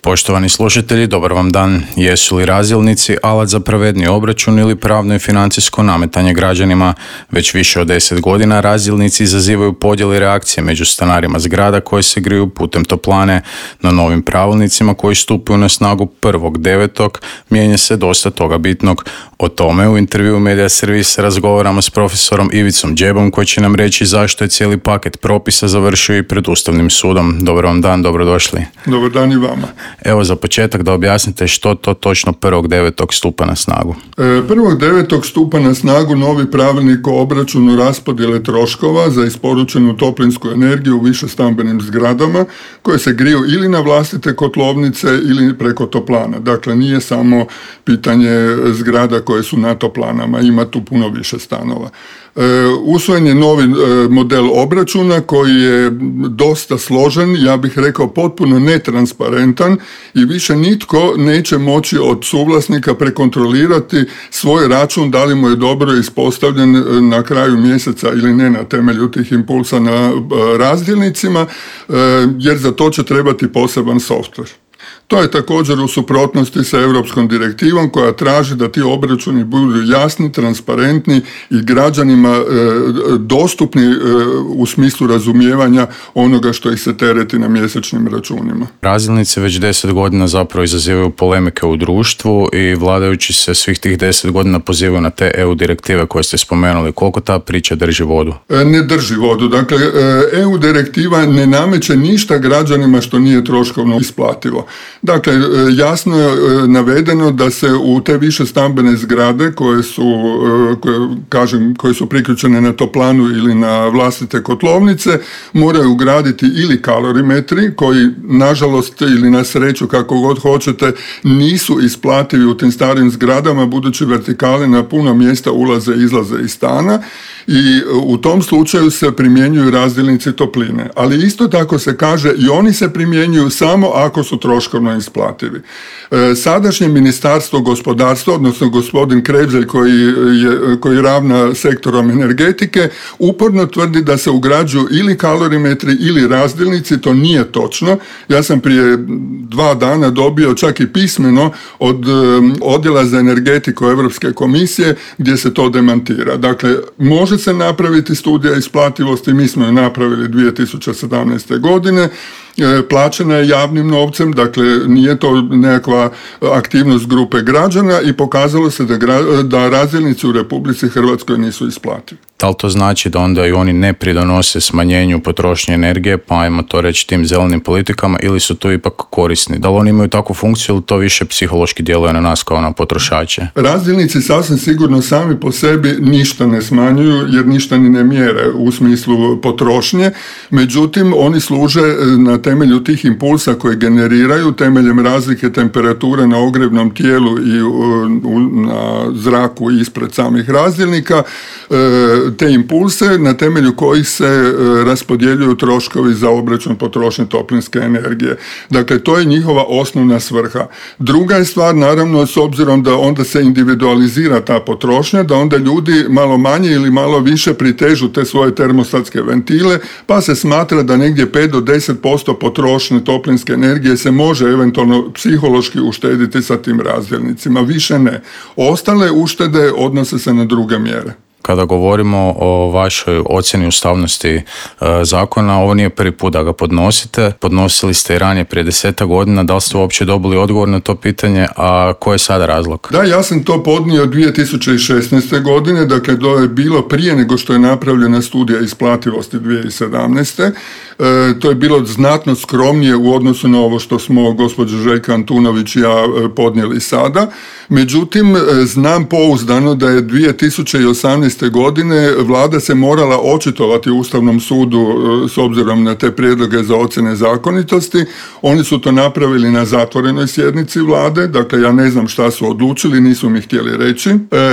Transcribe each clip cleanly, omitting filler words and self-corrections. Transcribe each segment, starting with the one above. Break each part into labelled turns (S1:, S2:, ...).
S1: Poštovani slušatelji, dobar vam dan. Jesu li razdjelnici alat za pravedni obračun ili pravno i financijsko nametanje građanima? Već više od 10 godina razdjelnici izazivaju podjele i reakcije među stanarima zgrada koji se griju putem toplane, no novim pravilnicima koji stupaju na snagu 1.9. mijenja se dosta toga bitnog. O tome u intervjuu Media Servisa razgovaramo s profesorom Ivicom Đebom koji će nam reći zašto je cijeli paket propisa završio i pred Ustavnim sudom. Dobar vam dan, dobrodošli.
S2: Dobar dan i vama.
S1: Evo za početak da objasnite što to točno 1.9. stupa na snagu.
S2: 1.9. stupa na snagu novi pravilnik o obračunu raspodjele troškova za isporučenu toplinsku energiju u višestambenim zgradama koje se griju ili na vlastite kotlovnice ili preko toplana. Dakle, nije samo pitanje zgrada koje su na toplanama, ima tu puno više stanova. Usvojen je novi model obračuna koji je dosta složen, ja bih rekao potpuno netransparentan i više nitko neće moći od suvlasnika prekontrolirati svoj račun da li mu je dobro ispostavljen na kraju mjeseca ili ne na temelju tih impulsa na razdjelnicima, jer za to će trebati poseban softver. To je također u suprotnosti sa europskom direktivom koja traži da ti obračuni budu jasni, transparentni i građanima dostupni u smislu razumijevanja onoga što ih se tereti na mjesečnim računima.
S1: Razdjelnici već 10 godina zapravo izazivaju polemike u društvu i vladajući se svih tih 10 godina pozivaju na te EU direktive koje ste spomenuli. Koliko ta priča drži vodu?
S2: Ne drži vodu. Dakle, EU direktiva ne nameće ništa građanima što nije troškovno isplativo. Dakle, jasno je navedeno da se u te više stambene zgrade koje su priključene na toplanu ili na vlastite kotlovnice moraju ugraditi ili kalorimetri koji nažalost ili na sreću kako god hoćete nisu isplativi u tim starim zgradama budući vertikale na puno mjesta ulaze i izlaze iz stana i u tom slučaju se primjenjuju razdjelnici topline. Ali isto tako se kaže i oni se primjenjuju samo ako su troškovno isplativi. Sadašnje ministarstvo gospodarstva, odnosno gospodin Krevzelj koji ravna sektorom energetike, uporno tvrdi da se ugrađuju ili kalorimetri ili razdjelnici, to nije točno. Ja sam prije 2 dana dobio čak i pismeno od odjela za energetiku Europske komisije gdje se to demantira. Dakle, može se napraviti studija isplativosti, mi smo je napravili 2017. godine, plaćena je javnim novcem, dakle nije to nekakva aktivnost grupe građana i pokazalo se da razdjelnici u Republici Hrvatskoj nisu isplativi.
S1: Da li to znači da onda i oni ne pridonose smanjenju potrošnje energije, pa ajmo to reći tim zelenim politikama, ili su to ipak korisni? Da li oni imaju takvu funkciju ili to više psihološki djeluje na nas kao na potrošače?
S2: Razdjelnici sasvim sigurno sami po sebi ništa ne smanjuju jer ništa ni ne mjere u smislu potrošnje, međutim oni služe na temelju tih impulsa koje generiraju temeljem razlike temperature na ogrjevnom tijelu i na zraku ispred samih razdjelnika, te impulse na temelju kojih se raspodjeljuju troškovi za obračun potrošnje toplinske energije. Dakle, to je njihova osnovna svrha. Druga je stvar, naravno, s obzirom da onda se individualizira ta potrošnja, da onda ljudi malo manje ili malo više pritežu te svoje termostatske ventile, pa se smatra da negdje 5 do 10% potrošnje toplinske energije se može eventualno psihološki uštediti sa tim razdjelnicima. Više ne. Ostale uštede odnose se na druge mjere.
S1: Kada govorimo o vašoj ocjeni ustavnosti zakona, ovo nije prvi put da ga podnosite. Podnosili ste i ranije prije 10 godina. Da li ste uopće dobili odgovor na to pitanje, a koji je sada razlog?
S2: Da, ja sam to podnio 2016. godine, dakle to je bilo prije nego što je napravljena studija isplativosti 2017. To je bilo znatno skromnije u odnosu na ovo što smo gospođa Željka Antunović i ja podnijeli sada. Međutim, znam pouzdano da je 2018. godine vlada se morala očitovati Ustavnom sudu s obzirom na te prijedloge za ocjene zakonitosti. Oni su to napravili na zatvorenoj sjednici vlade, dakle ja ne znam šta su odlučili, nisu mi htjeli reći.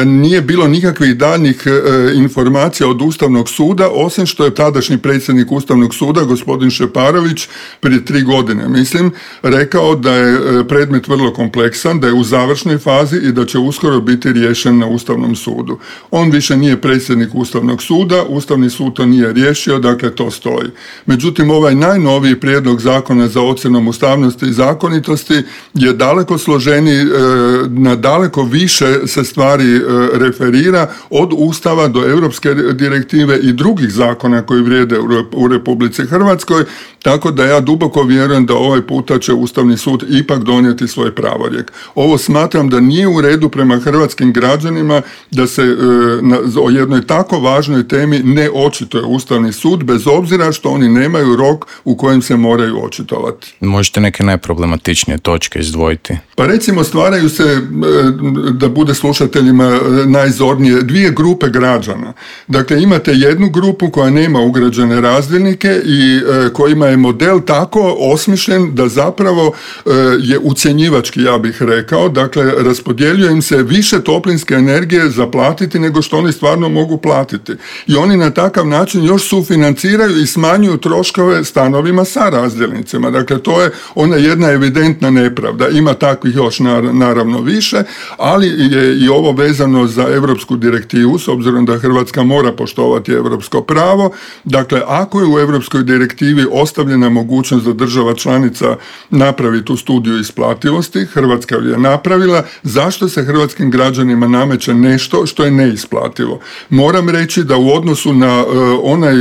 S2: Nije bilo nikakvih daljnjih informacija od Ustavnog suda, osim što je tadašnji predsjednik Ustavnog suda, gospodin Šeparović, prije 3 godine, mislim, rekao da je predmet vrlo kompleksan, da je u završnoj fazi i da će uskoro biti riješen na Ustavnom sudu. On više nije predsjednik Ustavnog suda, Ustavni sud to nije riješio, dakle to stoji. Međutim, ovaj najnoviji prijedlog zakona za ocjenom ustavnosti i zakonitosti je daleko složeniji, na daleko više se stvari referira od Ustava do europske direktive i drugih zakona koji vrijede u Republici Hrvatskoj, tako da ja duboko vjerujem da ovaj puta će Ustavni sud ipak donijeti svoj pravorijek. Ovo smatram da nije u redu prema hrvatskim građanima da se o jednoj tako važnoj temi ne očituje Ustavni sud, bez obzira što oni nemaju rok u kojem se moraju očitovati.
S1: Možete neke najproblematičnije točke izdvojiti?
S2: Pa recimo stvaraju se, da bude slušateljima najzornije, dvije grupe građana. Dakle, imate jednu grupu koja nema ugrađene razdjelnike i kojima je model tako osmišljen da zapravo je ucjenjivački, ja bih rekao. Dakle, raspodjeljuje im se više toplinske energije za platiti nego što oni stvarno mogu platiti. I oni na takav način još sufinanciraju i smanjuju troškove stanovima sa razdjelnicima. Dakle, to je ona jedna evidentna nepravda. Ima takvih još naravno više, ali je i ovo vezano za europsku direktivu, s obzirom da Hrvatska mora poštovati europsko pravo. Dakle, ako je u europskoj direktivi ostavljena mogućnost da država članica napravi tu studiju isplativosti, Hrvatska je napravila, zašto se hrvatskim građanima nameće nešto što je neisplativo? Moram reći da u odnosu na onaj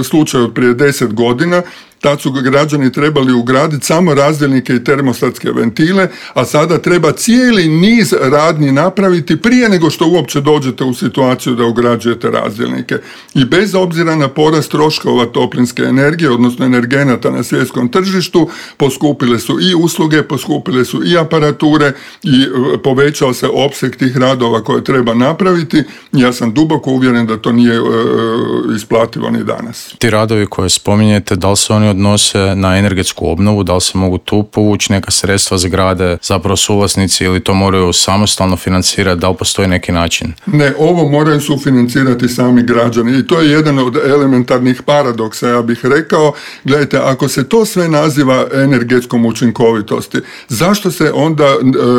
S2: slučaj od prije 10 godina, tad su građani trebali ugraditi samo razdjelnike i termostatske ventile, a sada treba cijeli niz radnji napraviti prije nego što uopće dođete u situaciju da ugrađujete razdjelnike. I bez obzira na porast troškova toplinske energije, odnosno energenata na svjetskom tržištu, poskupile su i usluge, poskupile su i aparature i povećao se opseg tih radova koje treba napraviti. Ja sam duboko uvjeren da to nije isplativo ni danas.
S1: Ti radovi koje spominjete, da li se oni odnose na energetsku obnovu, da li se mogu tu povući neka sredstva zgrade, zapravo suvlasnici, ili to moraju samostalno financirati, da li postoji neki način?
S2: Ne, ovo moraju sufinancirati sami građani i to je jedan od elementarnih paradoksa, ja bih rekao. Gledajte, ako se to sve naziva energetskom učinkovitosti, zašto se onda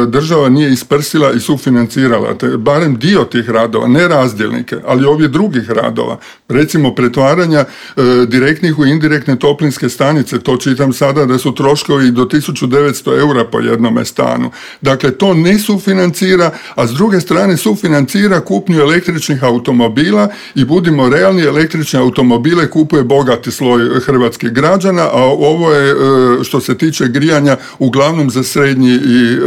S2: država nije isprsila i sufinancirala barem dio tih radova, ne razdjelnike, ali ovih drugih radova, recimo pretvaranja direktnih u indirektne toplinske stanice, to čitam sada da su troškovi do 1900 eura po jednome stanu. Dakle, to ne sufinancira, a s druge strane sufinancira kupnju električnih automobila i budimo realni, električne automobile kupuje bogati sloj hrvatskih građana, a ovo je, što se tiče grijanja, uglavnom za srednji i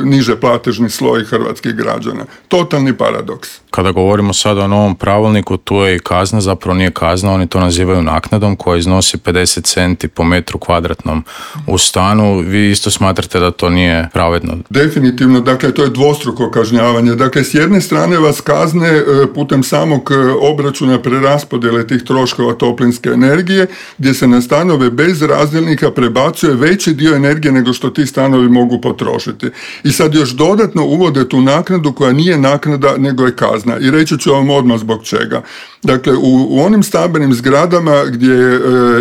S2: niže platežni sloj hrvatskih građana. Totalni paradoks.
S1: Kada govorimo sada o novom pravilniku, tu je i kazna, zapravo nije kazna, oni to nazivaju naknadom koja iznosi 50 centi po metru kvadratnom u stanu. Vi isto smatrate da to nije pravedno?
S2: Definitivno, dakle to je dvostruko kažnjavanje. Dakle, s jedne strane vas kazne putem samog obračuna preraspodjele tih troškova toplinske energije, gdje se na stanove bez razdjelnika prebacuje veći dio energije nego što ti stanovi mogu potrošiti. I sad još dodatno uvode tu naknadu koja nije naknada nego je kazna. I reći ću vam odmah zbog čega. Dakle, u onim stambenim zgradama gdje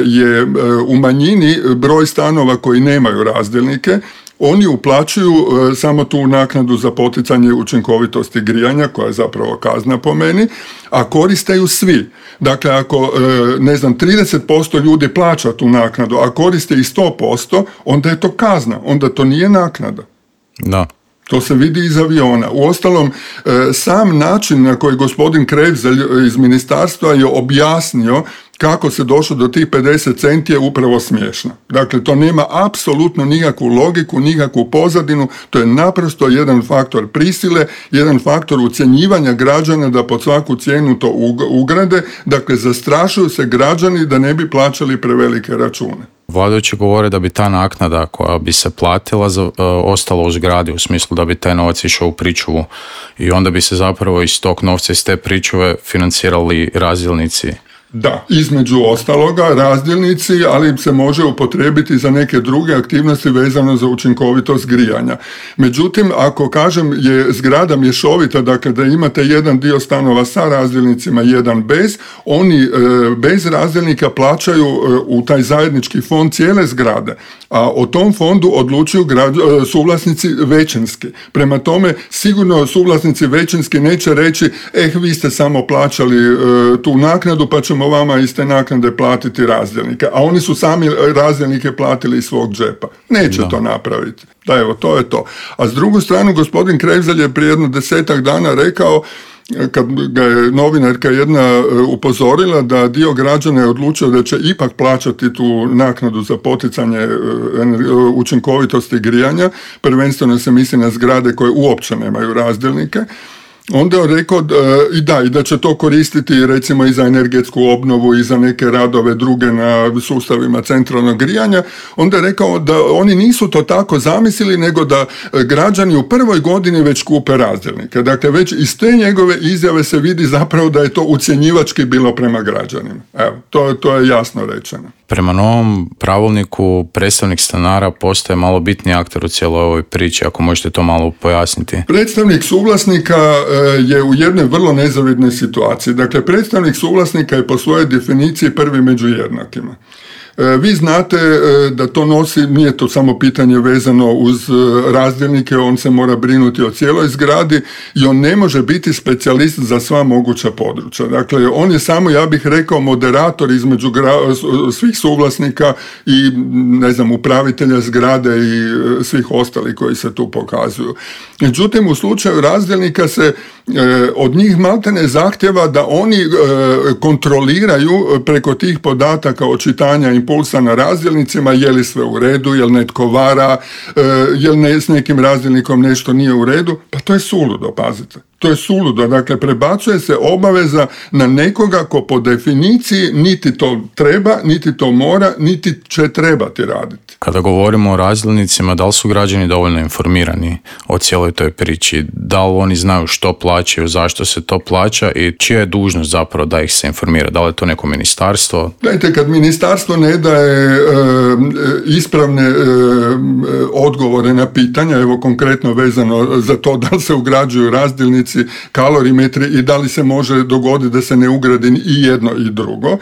S2: je u manjini broj stanova koji nemaju razdjelnike, oni uplaćuju samo tu naknadu za poticanje učinkovitosti grijanja, koja je zapravo kazna po meni, a koriste ju svi. Dakle, ako, 30% ljudi plaća tu naknadu, a koriste i 100%, onda je to kazna, onda to nije naknada.
S1: Da.
S2: To se vidi iz aviona. Uostalom, sam način na koji gospodin Krevzelj iz ministarstva je objasnio kako se došlo do tih 50 centi je upravo smiješno. Dakle, to nema apsolutno nikakvu logiku, nikakvu pozadinu, to je naprosto jedan faktor prisile, jedan faktor ucjenjivanja građana da pod svaku cijenu to ugrade, dakle, zastrašuju se građani da ne bi plaćali prevelike račune.
S1: Vladajući govore da bi ta naknada koja bi se platila ostala u zgradi, u smislu da bi taj novac išao u pričuvu i onda bi se zapravo iz tog novca, iz te pričuve financirali razdjelnici.
S2: Da, između ostaloga razdjelnici, ali se može upotrijebiti za neke druge aktivnosti vezano za učinkovitost grijanja. Međutim, ako kažem je zgrada mješovita, dakle da imate jedan dio stanova sa razdjelnicima, jedan bez, oni bez razdjelnika plaćaju u taj zajednički fond cijele zgrade, a o tom fondu odlučuju suvlasnici većinski. Prema tome, sigurno suvlasnici većinski neće reći vi ste samo plaćali tu naknadu pa ćemo vama iz te naknade platiti razdjelnike, a oni su sami razdjelnike platili iz svog džepa. Neće to napraviti. Da, evo, to je to. A s drugu stranu, gospodin Krevzelj je prije jedno 10 dana rekao, kad ga je novinarka jedna upozorila da dio građana je odlučio da će ipak plaćati tu naknadu za poticanje učinkovitosti grijanja, prvenstveno se misli na zgrade koje uopće nemaju razdjelnike, onda je rekao i da će to koristiti recimo i za energetsku obnovu i za neke radove druge na sustavima centralnog grijanja. Onda je rekao da oni nisu to tako zamislili, nego da građani u prvoj godini već kupe razdjelnike. Dakle, već iz te njegove izjave se vidi zapravo da je to ucjenjivački bilo prema građanima. Evo, to je jasno rečeno.
S1: Prema novom pravilniku predstavnik stanara postaje malo bitniji akter u cijeloj ovoj priči, ako možete to malo pojasniti.
S2: Predstavnik suvlasnika je u jednoj vrlo nezavidnoj situaciji. Dakle, predstavnik suvlasnika je po svojoj definiciji prvi među jednakima. Vi znate da to nosi, nije to samo pitanje vezano uz razdjelnike, on se mora brinuti o cijeloj zgradi i on ne može biti specijalist za sva moguća područja. Dakle, on je samo, ja bih rekao, moderator između svih suvlasnika i, upravitelja zgrade i svih ostalih koji se tu pokazuju. Međutim, u slučaju razdjelnika se od njih maltene zahtjeva da oni kontroliraju preko tih podataka očitanja impulsa na razdjelnicima je li sve u redu, je li netko vara, je li s nekim razdjelnikom nešto nije u redu, pa to je suludo, pazite. To je suludo, dakle prebacuje se obaveza na nekoga ko po definiciji niti to treba, niti to mora, niti će trebati raditi.
S1: Kada govorimo o razdjelnicima, da li su građani dovoljno informirani o cijeloj toj priči? Da li oni znaju što plaćaju, zašto se to plaća i čija je dužnost zapravo da ih se informira? Da li je to neko ministarstvo?
S2: Gledajte, kad ministarstvo ne daje ispravne odgovore na pitanja, evo konkretno vezano za to da li se ugrađuju razdjelnici, kalorimetri i da li se može dogoditi da se ne ugradi i jedno i drugo.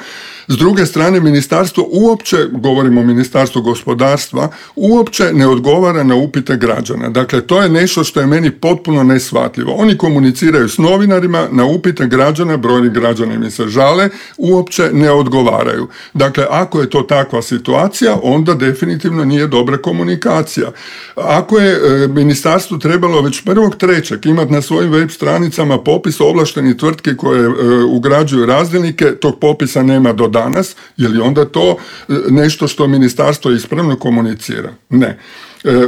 S2: S druge strane, ministarstvo uopće, govorimo o ministarstvu gospodarstva, uopće ne odgovara na upite građana. Dakle, to je nešto što je meni potpuno neshvatljivo. Oni komuniciraju s novinarima, na upite građana, brojni građani mi se žale, uopće ne odgovaraju. Dakle, ako je to takva situacija, onda definitivno nije dobra komunikacija. Ako je ministarstvo trebalo već 1.3. imati na svojim web stranicama popis ovlaštenih tvrtki koje ugrađuju razdjelnike, tog popisa nema do danas, je li onda to nešto što ministarstvo ispravno komunicira? Ne.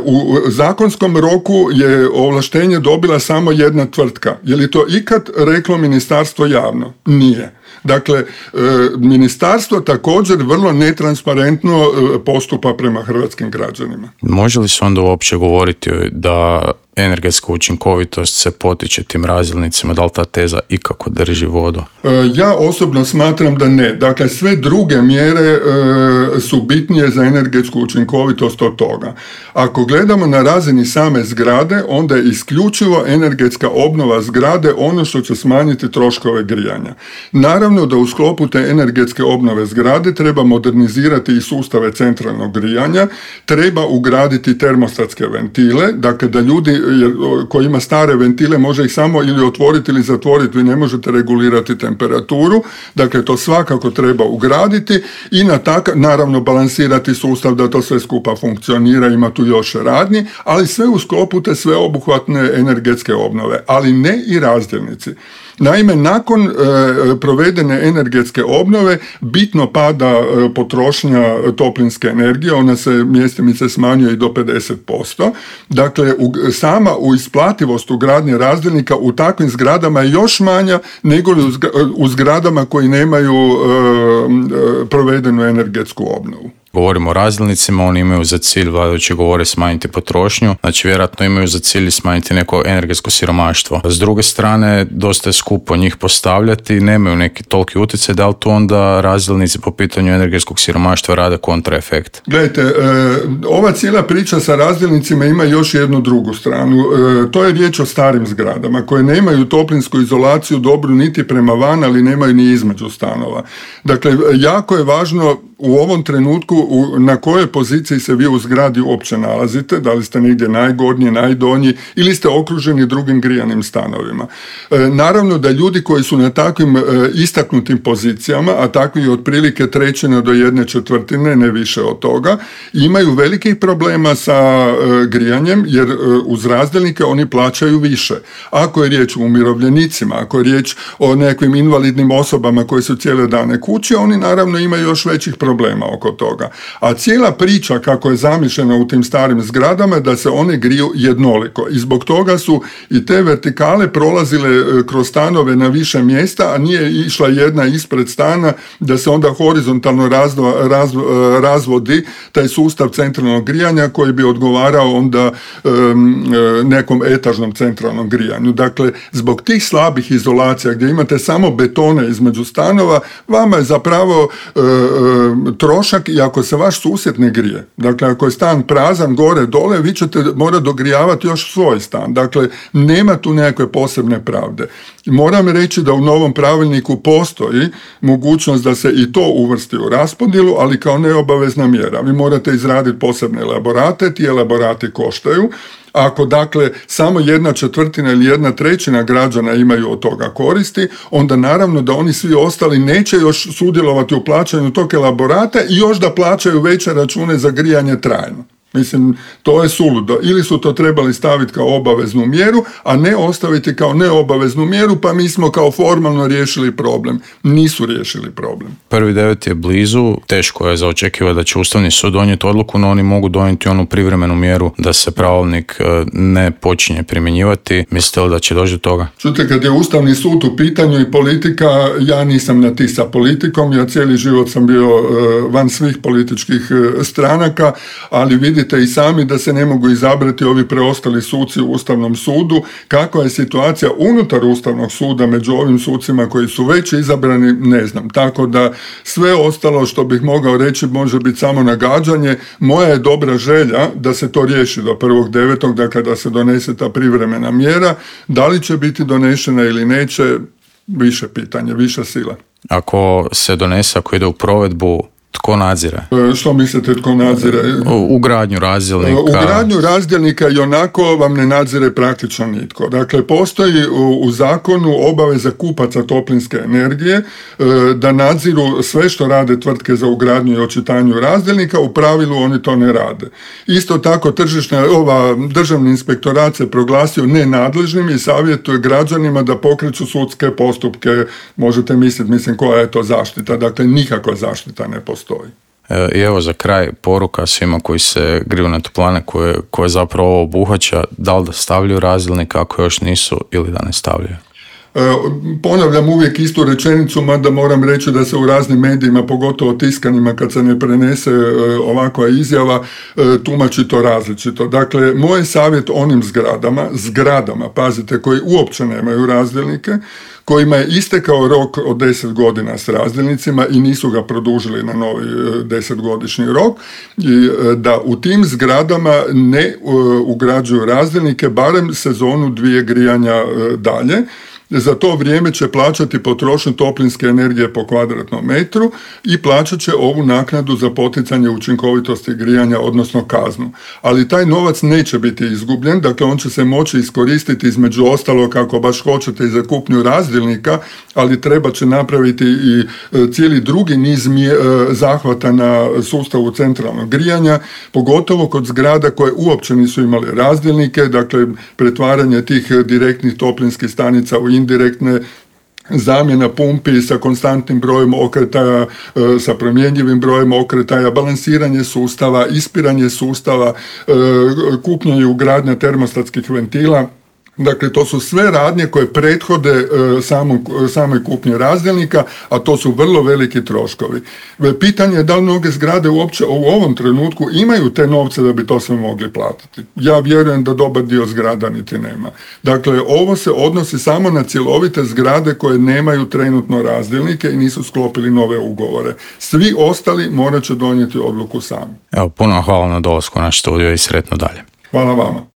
S2: U zakonskom roku je ovlaštenje dobila samo jedna tvrtka. Je li to ikad reklo ministarstvo javno? Nije. Dakle, ministarstvo također vrlo netransparentno postupa prema hrvatskim građanima.
S1: Može li se onda uopće govoriti da energetska učinkovitost se potiče tim razdjelnicima, da li ta teza ikako drži vodu?
S2: Ja osobno smatram da ne. Dakle, sve druge mjere su bitnije za energetsku učinkovitost od toga. Ako gledamo na razini same zgrade, onda je isključivo energetska obnova zgrade ono što će smanjiti troškove grijanja. Naravno da u sklopu te energetske obnove zgrade treba modernizirati i sustave centralnog grijanja, treba ugraditi termostatske ventile, dakle da ljudi koji ima stare ventile može ih samo ili otvoriti ili zatvoriti, vi ne možete regulirati temperaturu, dakle to svakako treba ugraditi i naravno balansirati sustav da to sve skupa funkcionira, ima tu još radnji, ali sve u sklopu te sveobuhvatne energetske obnove, ali ne i razdjelnici. Naime, nakon provedene energetske obnove bitno pada potrošnja toplinske energije, ona se mjestimice smanjuje i do 50%. Dakle, sama isplativost ugradnje razdjelnika u takvim zgradama je još manja nego u zgradama koji nemaju provedenu energetsku obnovu.
S1: govorimo o razdjelnicima, oni imaju za cilj, vladajući govore, smanjiti potrošnju, znači vjerojatno imaju za cilj smanjiti neko energetsko siromaštvo. S druge strane, dosta je skupo njih postavljati, nemaju neki toliki utjecaj, da li tu onda razdjelnici po pitanju energetskog siromaštva rade kontraefekt?
S2: Gledajte, ova cijela priča sa razdjelnicima ima još jednu drugu stranu. To je riječ o starim zgradama koje nemaju toplinsku izolaciju dobru niti prema van, ali nemaju ni između stanova. Dakle, jako je važno u ovom trenutku na kojoj poziciji se vi u zgradi uopće nalazite, da li ste negdje najgornji, najdonji ili ste okruženi drugim grijanim stanovima. Naravno da ljudi koji su na takvim istaknutim pozicijama, a takvi otprilike 1/3 do 1/4, ne više od toga, imaju velikih problema sa grijanjem, jer uz razdjelnike oni plaćaju više. Ako je riječ o umirovljenicima, ako je riječ o nekim invalidnim osobama koji su cijele dane kući, oni naravno imaju još većih problema oko toga. A cijela priča kako je zamišljena u tim starim zgradama da se one griju jednoliko i zbog toga su i te vertikale prolazile kroz stanove na više mjesta, a nije išla jedna ispred stana da se onda horizontalno razvodi taj sustav centralnog grijanja koji bi odgovarao onda nekom etažnom centralnom grijanju. Dakle, zbog tih slabih izolacija gdje imate samo betone između stanova, vama je zapravo trošak i ako se vaš susjed ne grije. Dakle, ako je stan prazan gore dole, vi ćete morati dogrijavati još svoj stan. Dakle, nema tu nekakve posebne pravde. Moram reći da u novom pravilniku postoji mogućnost da se i to uvrsti u raspodjelu, ali kao neobavezna mjera. Vi morate izraditi posebne elaborate, ti elaborati koštaju. Ako dakle samo 1/4 ili 1/3 građana imaju od toga koristi, onda naravno da oni svi ostali neće još sudjelovati u plaćanju tog elaborata i još da plaćaju veće račune za grijanje trajno. Mislim, to je suludo. Ili su to trebali staviti kao obaveznu mjeru, a ne ostaviti kao neobaveznu mjeru, pa mi smo kao formalno riješili problem. Nisu riješili problem.
S1: 1.9. je blizu, teško je za očekivati da će Ustavni sud donijeti odluku, no oni mogu donijeti onu privremenu mjeru da se pravilnik ne počinje primjenjivati. Mislite li da će doći do toga?
S2: Čujte, kad je Ustavni sud u pitanju i politika, ja nisam na ti sa politikom, ja cijeli život sam bio van svih političkih stranaka, ali vidite i sami da se ne mogu izabrati ovi preostali suci u Ustavnom sudu. Kakva je situacija unutar Ustavnog suda među ovim sucima koji su već izabrani, ne znam. Tako da sve ostalo što bih mogao reći može biti samo nagađanje. Moja je dobra želja da se to riješi do 1.9. dakle da se donese ta privremena mjera. Da li će biti donešena ili neće, više pitanje, više sila.
S1: Ako se donese, ako ide u provedbu, tko nadzire?
S2: Što mislite tko nadzire?
S1: Ugradnju razdjelnika.
S2: Ugradnju razdjelnika i onako vam ne nadzire praktično nitko. Dakle, postoji u zakonu obaveza kupaca toplinske energije da nadziru sve što rade tvrtke za ugradnju i očitanju razdjelnika, u pravilu oni to ne rade. Isto tako državni inspektorat se proglasio nenadležnim i savjetuje građanima da pokreću sudske postupke. Možete misliti, koja je to zaštita. Dakle, nikakva zaštita ne postoji.
S1: I evo za kraj poruka svima koji se griju na toplane koje zapravo ovo obuhvaća, da li da stavljaju razdjelnik ako još nisu ili da ne stavljaju?
S2: Ponavljam uvijek istu rečenicu, mada moram reći da se u raznim medijima, pogotovo tiskanima, kad se ne prenese ovakva izjava, tumači to različito. Dakle, moj savjet onim zgradama, pazite, koji uopće nemaju razdjelnike, kojima je istekao rok od 10 godina s razdjelnicima i nisu ga produžili na novi 10-godišnji rok, i da u tim zgradama ne ugrađuju razdjelnike barem sezonu 2 grijanja dalje. Za to vrijeme će plaćati potrošnju toplinske energije po kvadratnom metru i plaćat će ovu naknadu za poticanje učinkovitosti grijanja, odnosno kaznu. Ali taj novac neće biti izgubljen, dakle on će se moći iskoristiti između ostalog ako baš hoćete i za kupnju razdjelnika, ali treba će napraviti i cijeli drugi niz zahvata na sustavu centralnog grijanja, pogotovo kod zgrada koje uopće nisu imali razdjelnike, dakle pretvaranje tih direktnih toplinskih stanica u indirektne, zamjena pumpi sa konstantnim brojem okretaja, sa promjenjivim brojem okretaja, balansiranje sustava, ispiranje sustava, kupnja i ugradnja termostatskih ventila. Dakle, to su sve radnje koje prethode samoj kupnji razdjelnika, a to su vrlo veliki troškovi. Pitanje je da li mnoge zgrade uopće u ovom trenutku imaju te novce da bi to sve mogli platiti. Ja vjerujem da dobar dio zgrada niti nema. Dakle, ovo se odnosi samo na cjelovite zgrade koje nemaju trenutno razdjelnike i nisu sklopili nove ugovore. Svi ostali morat će donijeti odluku sami.
S1: Evo, puno hvala na dolasku na studio i sretno dalje.
S2: Hvala vama.